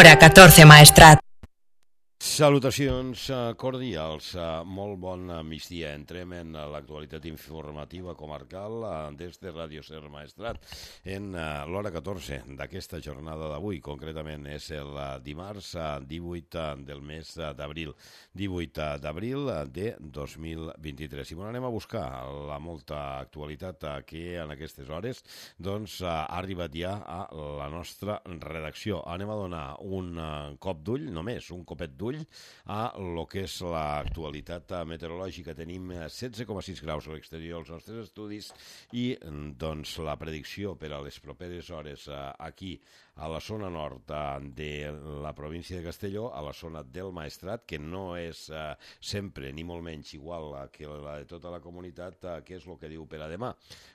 Hora 14 Maestrat. Salutacions cordials, molt bon migdia. Entrem en l'actualitat informativa comarcal des de Ràdio Ser Maestrat en l'hora 14 d'aquesta jornada d'avui. Concretament és el dimarts 18 del mes d'abril, 18 d'abril de 2023. I anem a buscar la molta actualitat que en aquestes hores ha arribat ja a la nostra redacció. Anem a donar un cop d'ull, només un copet d'ull, a lo que és l'actualitat meteorològica. Tenim 16,6 graus a l'exterior als nostres estudis i la predicció per a les properes hores aquí a la zona nord de la província de Castelló, a la zona del Maestrat, que no és sempre ni molt menys igual que la de tota la comunitat. Què és el que diu per a demà?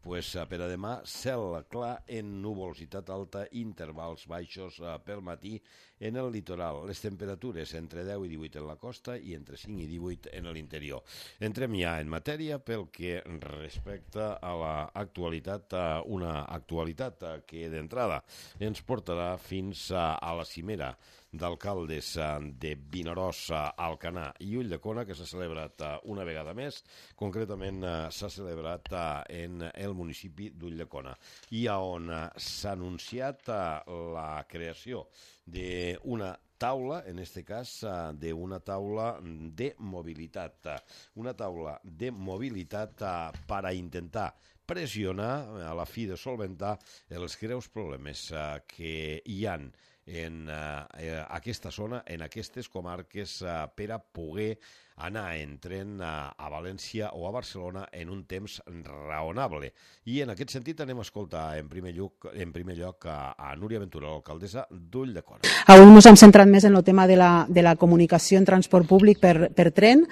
Pues per a demà, cel clar en nuvolositat alta, intervals baixos pel matí en el litoral. Les temperatures entre 10 i 18 en la costa i entre 5 i 18 en l'interior. Entrem ja en matèria pel que respecta a l'actualitat, una actualitat que d'entrada ens portarà fins a la cimera d'alcaldes de Vinaròs, Alcanar i Ulldecona, que s'ha celebrat una vegada més. Concretament s'ha celebrat en el municipi d'Ulldecona i on s'ha anunciat la creació d'una taula, en este cas d'una taula de mobilitat. Una taula de mobilitat per a intentar pressionar, a la fi de solventar, els greus problemes que hi han en aquesta zona, en aquestes comarques, per a poder anar en tren a València o a Barcelona en un temps raonable. I en aquest sentit anem a escoltar en primer lloc a Núria Ventura, l'alcaldessa d'Ulldecona. Avui ens hem centrat més en el tema de la comunicació en transport públic per tren,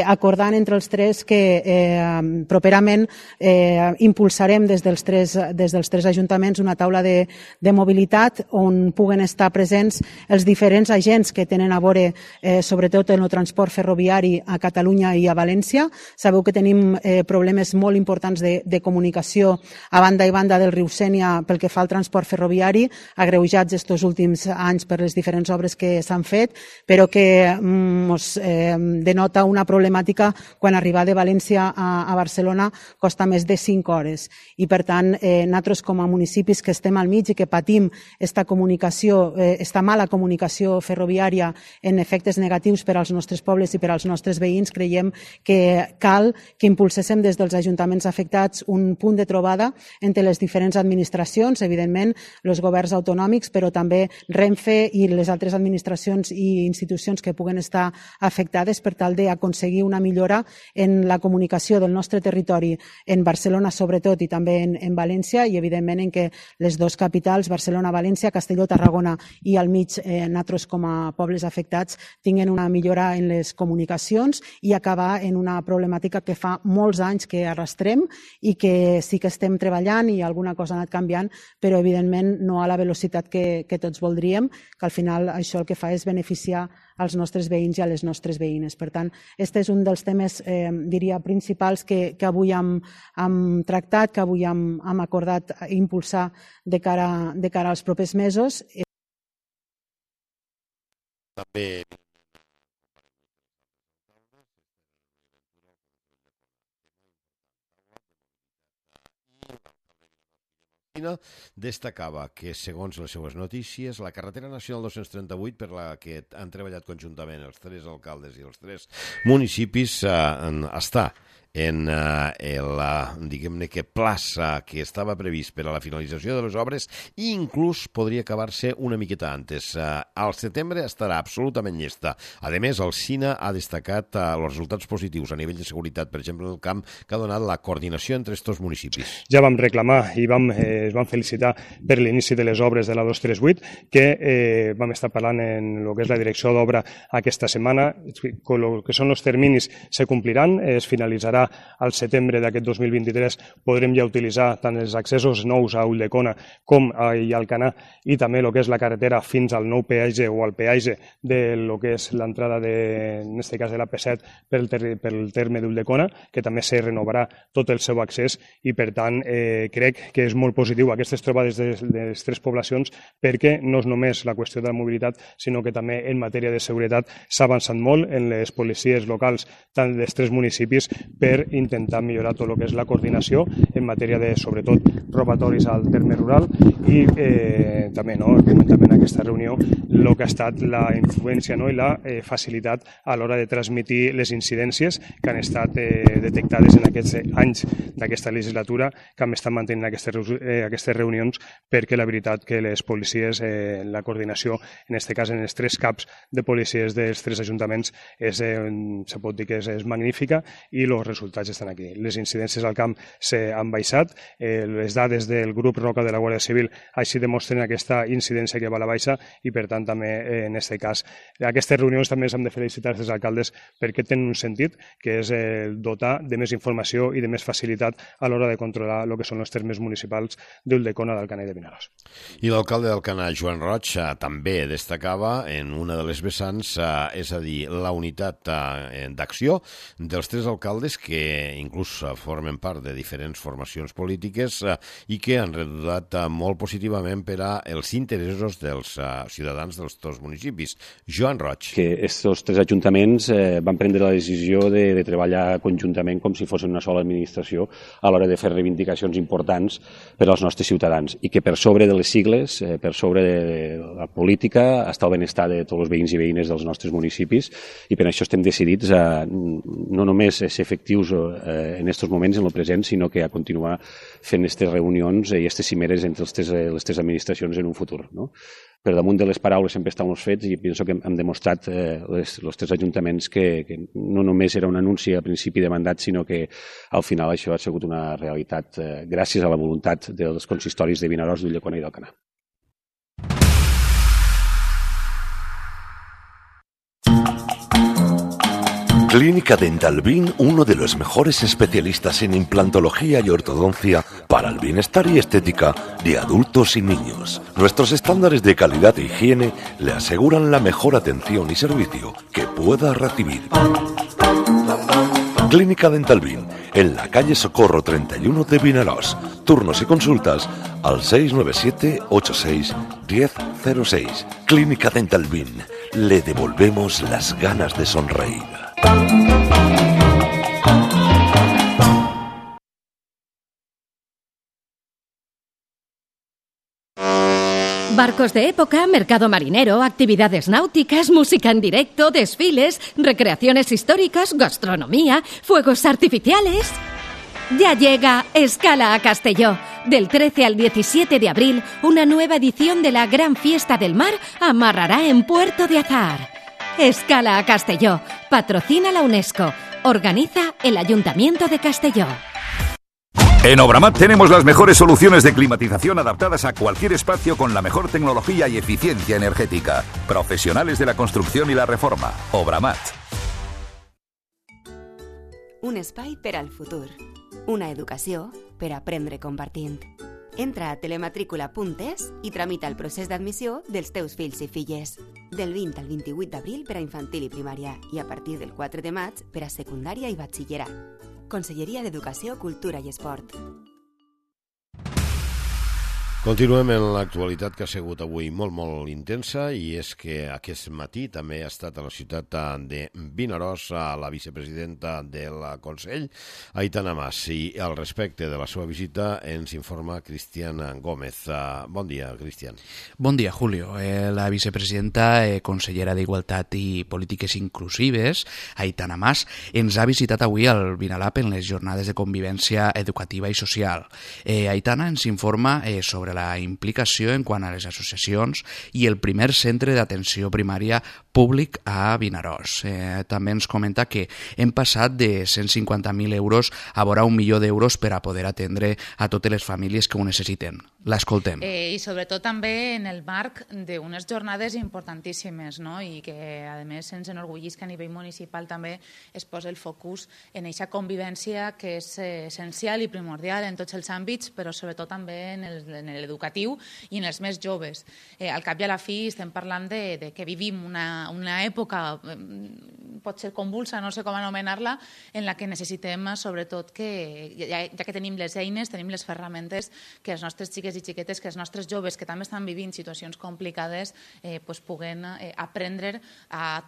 acordant entre els tres que properament impulsarem des dels tres ajuntaments una taula de mobilitat on puguen estar presents els diferents agents que tenen a veure sobretot en el transport ferroviari a Catalunya i a València. Sabeu que tenim problemes molt importants de comunicació a banda i banda del riu Sénia pel que fa al transport ferroviari, agreujats estos últims anys per les diferents obres que s'han fet, però que ens denota una problemàtica quan arribar de València a Barcelona costa més de 5 hores. I per tant, nosaltres com a municipis que estem al mig i que patim esta mala comunicació ferroviària en efectes negatius per als nostres pobles i per als nostres veïns, creiem que cal que impulséssim des dels ajuntaments afectats un punt de trobada entre les diferents administracions, evidentment els governs autonòmics, però també Renfe i les altres administracions i institucions que puguen estar afectades per tal d'aconseguir una millora en la comunicació del nostre territori en Barcelona sobretot i també en València, i evidentment en què les dues capitals, Barcelona, València, Castelló, Tarragona i al mig nosaltres com a pobles afectats tinguin una millora en les comunicacions i acabar en una problemàtica que fa molts anys que arrastrem i que sí que estem treballant i alguna cosa ha anat canviant, però evidentment no a la velocitat que tots voldríem, que al final això el que fa és beneficiar als nostres veïns i a les nostres veïnes. Per tant, aquest és un dels temes, diria, principals que avui hem tractat, que avui hem acordat impulsar de cara als propers mesos. També destacava que, segons les seues notícies, la carretera nacional 238, per la que han treballat conjuntament els tres alcaldes i els tres municipis, està en diguem-ne que plaça que estava previst per a la finalització de les obres i inclús podria acabar-se una miqueta antes. Al setembre estarà absolutament llesta. A més, el SINA ha destacat els resultats positius a nivell de seguretat, per exemple, en el camp que ha donat la coordinació entre aquests municipis. Ja vam reclamar i es vam felicitar per l'inici de les obres de la 238, que vam estar parlant en el que és la direcció d'obra aquesta setmana. El que són els terminis se compliran, es finalitzarà cara al setembre d'aquest 2023 podrem ja utilitzar tant els accessos nous a Ulldecona com a Alcanar i també el que és la carretera fins al nou peatge o al peatge de lo que és l'entrada, en aquest cas de la P7 pel terme d'Ulldecona, que també se renovarà tot el seu accés i per tant crec que és molt positiu aquestes trobades de les tres poblacions perquè no és només la qüestió de la mobilitat sinó que també en matèria de seguretat s'ha avançat molt en les policies locals tant dels tres municipis per intentar millorar tot el que és la coordinació en matèria de, sobretot, robatoris al terme rural i també, comentament en aquesta reunió, el que ha estat la influència i la facilitat a l'hora de transmitir les incidències que han estat detectades en aquests anys d'aquesta legislatura que hem estat mantenint aquestes reunions perquè la veritat que les policies, la coordinació, en aquest cas en els tres caps de policies dels tres ajuntaments, se pot dir que és magnífica i els resultats estan aquí. Les incidències al camp s'han baixat, les dades del grup Roca de la Guàrdia Civil així demostren aquesta incidència que va a la baixa i per tant també en aquest cas aquestes reunions també s'han de felicitar als alcaldes perquè tenen un sentit que és dotar de més informació i de més facilitat a l'hora de controlar el que són els termes municipals d'Ulldecona, d'Alcanar i de Vinaròs. I l'alcalde d'Alcanar, Joan Roig, també destacava en una de les vessants, és a dir, la unitat d'acció dels tres alcaldes que inclús formen part de diferents formacions polítiques i que han redundat molt positivament per als interessos dels ciutadans dels dos municipis. Joan Roig. Que aquests tres ajuntaments van prendre la decisió de treballar conjuntament com si fossin una sola administració a l'hora de fer reivindicacions importants per als nostres ciutadans i que per sobre de les sigles, per sobre de la política, està el benestar de tots els veïns i veïnes dels nostres municipis i per això estem decidits a no només ser efectius en aquests moments, en el present, sinó que a continuar fent aquestes reunions i aquestes cimeres entre les tres administracions en un futur. No? Per damunt de les paraules sempre estan els fets i penso que hem demostrat els tres ajuntaments que no només era un anunci a principi de mandat, sinó que al final això ha sigut una realitat gràcies a la voluntat dels consistoris de Vinaròs, d'Ulldecona i d'Alcanar. Clínica Dental Bin, uno de los mejores especialistas en implantología y ortodoncia para el bienestar y estética de adultos y niños. Nuestros estándares de calidad e higiene le aseguran la mejor atención y servicio que pueda recibir. Clínica Dental Bin, en la calle Socorro 31 de Vinaròs. Turnos y consultas al 697 86 1006. Clínica Dental Bin, le devolvemos las ganas de sonreír. Barcos de época, mercado marinero, actividades náuticas, música en directo, desfiles, recreaciones históricas, gastronomía, fuegos artificiales. Ya llega Escala a Castelló. Del 13 al 17 de abril, una nueva edición de la Gran Fiesta del Mar amarrará en Puerto de Azahar. Escala a Castelló. Patrocina la UNESCO. Organiza el Ayuntamiento de Castelló. En Obramat tenemos las mejores soluciones de climatización adaptadas a cualquier espacio con la mejor tecnología y eficiencia energética. Profesionales de la construcción y la reforma. Obramat. Un espai per al futur. Una educació per aprendre compartint. Entra a telematrícula.es i tramita el procés d'admissió dels teus fills i filles. Del 20 al 28 d'abril per a infantil i primària i a partir del 4 de maig per a secundària i batxillerat. Conselleria d'Educació, Cultura i Esport. Continuem en l'actualitat que ha sigut avui molt intensa i és que aquest matí també ha estat a la ciutat de Vinaròs la vicepresidenta del Consell, Aitana Mas, i al respecte de la seva visita ens informa Cristian Gómez. Bon dia, Cristian. Bon dia, Julio. La vicepresidenta, consellera d'Igualtat i Polítiques Inclusives, Aitana Mas, ens ha visitat avui al Vinalab en les jornades de convivència educativa i social. Aitana ens informa sobre la implicació en quant a les associacions i el primer centre d'atenció primària públic a Vinaròs. També ens comenta que hem passat de 150.000 euros a vora 1 milió d'euros per a poder atendre a totes les famílies que ho necessiten. L'escoltem. I sobretot també en el marc d'unes jornades importantíssimes, no? I que a més ens enorgullis que a nivell municipal també es posa el focus en aquesta convivència que és essencial i primordial en tots els àmbits, però sobretot també en l'educatiu i en els més joves. Al cap i a la fi estem parlant de que vivim una època, pot ser convulsa, no sé com anomenar-la, en la que necessitem sobretot que, ja que tenim les eines, tenim les ferramentes, que els nostres xiques i xiquetes, que els nostres joves que també estan vivint situacions complicades puguen aprendre a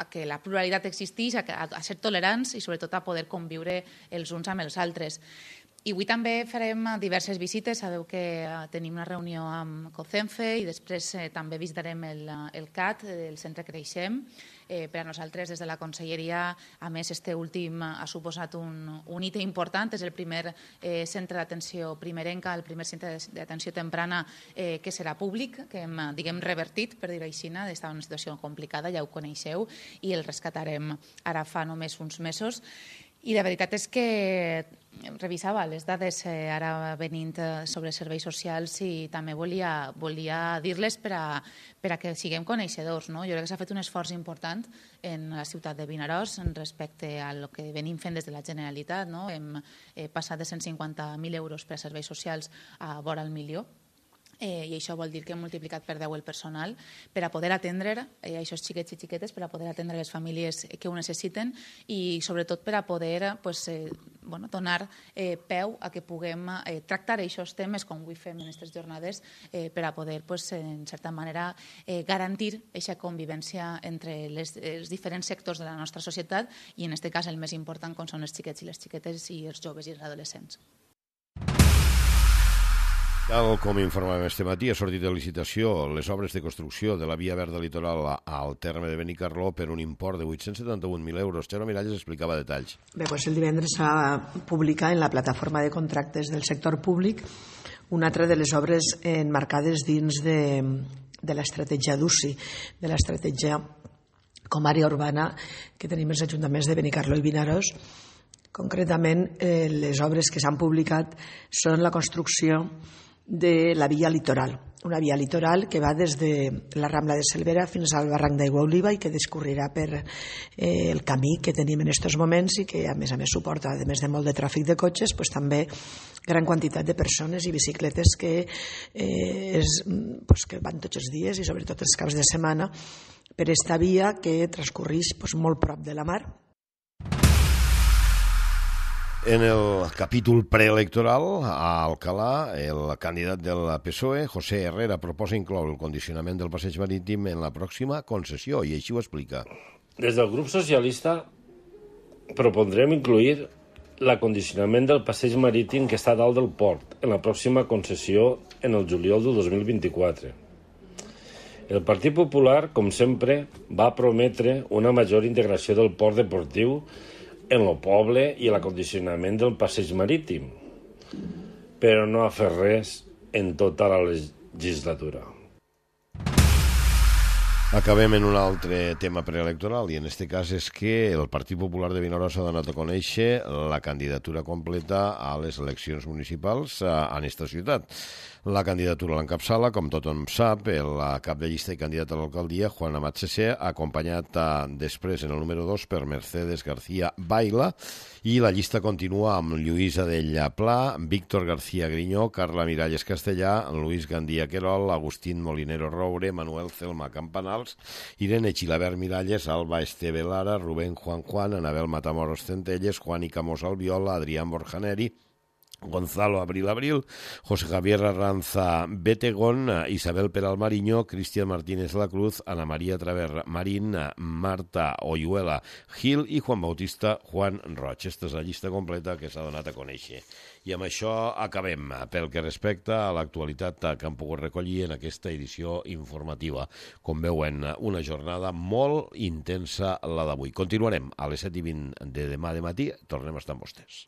que la pluralitat existeix, a ser tolerants i sobretot a poder conviure els uns amb els altres. I avui també farem diverses visites. Sabeu que tenim una reunió amb COCENFE i després també visitarem el CAT, el Centre Creixem. Per a nosaltres, des de la Conselleria, a més, este últim ha suposat un hito important. És el primer centre d'atenció primerenca, el primer centre d'atenció temprana que serà públic, que hem, diguem, revertit, per dir-ho així, estava en una situació complicada, ja ho coneixeu, i el rescatarem ara fa només uns mesos. I la veritat és que revisava les dades ara venint sobre serveis socials i també volia dir-les per a que siguem coneixedors. Jo crec que s'ha fet un esforç important en la ciutat de Vinaròs respecte al que venim fent des de la Generalitat. Hem passat de 150.000 euros per a serveis socials a vora el milió. I això vol dir que hem multiplicat per 10 el personal per a poder atendre aquests xiquets i xiquetes, per a poder atendre les famílies que ho necessiten i sobretot per a poder donar peu a que puguem tractar aquests temes com avui fem en aquestes jornades per a poder, en certa manera, garantir aquesta convivència entre els diferents sectors de la nostra societat i, en aquest cas, el més important, com són els xiquets i les xiquetes i els joves i els adolescents. Tal com informàvem este matí, ha sortit de licitació les obres de construcció de la via verda litoral al terme de Benicarló per un import de 871.000 euros. Xaura Miralles explicava detalls. Bé, el divendres s'ha publicat en la plataforma de contractes del sector públic una altra de les obres enmarcades dins de l'estratègia d'UCI, de l'estratègia com a àrea urbana que tenim els ajuntaments de Benicarló i Vinaròs. Concretament, les obres que s'han publicat són la construcció de la via litoral, una via litoral que va des de la Rambla de Cervera fins al barranc d'Aigua Oliva i que discorrerà per el camí que tenim en aquests moments i que a més suporta, a més de molt de tràfic de cotxes, també gran quantitat de persones i bicicletes que van tots els dies i sobretot els caps de setmana per esta via que transcorreix molt prop de la mar. En el capítol preelectoral, a Alcalà, el candidat del PSOE, José Herrera, proposa incloure el condicionament del passeig marítim en la pròxima concessió, i així ho explica. Des del grup socialista propondrem incluir l'acondicionament del passeig marítim que està dalt del port en la pròxima concessió en el juliol del 2024. El Partit Popular, com sempre, va prometre una major integració del port deportiu en el poble i l'acondicionament del passeig marítim, però no ha fet res en tota la legislatura. Acabem en un altre tema preelectoral i en aquest cas és que el Partit Popular de Vinaròs ha donat a conèixer la candidatura completa a les eleccions municipals en esta ciutat. La candidatura l'encapçala, com tothom sap, el cap de llista i candidat a l'alcaldia, Juan Amat Cessé, acompanyat després en el número 2 per Mercedes García Baila, i la llista continua amb Lluís Adella Pla, Víctor García Griñó, Carla Miralles Castellà, Luis Gandía Querol, Agustín Molinero Roure, Manuel Celma Campanals, Irene Chilabert Miralles, Alba Esteve Lara, Rubén Juan, Anabel Matamoros Centelles, Juan Icamos Albiola, Adrián Borjaneri, Gonzalo Abril, José Javier Arranza Betegón, Isabel Peral Mariño, Cristian Martínez La Cruz, Ana María Traver Marín, Marta Oyuela Gil i Juan Bautista Juan Roig. Aquesta és la llista completa que s'ha donat a conèixer. I amb això acabem pel que respecta a l'actualitat que hem pogut recollir en aquesta edició informativa. Com veuen, una jornada molt intensa la d'avui. Continuarem a les 7:20 de demà de matí. Tornem a estar amb vostès.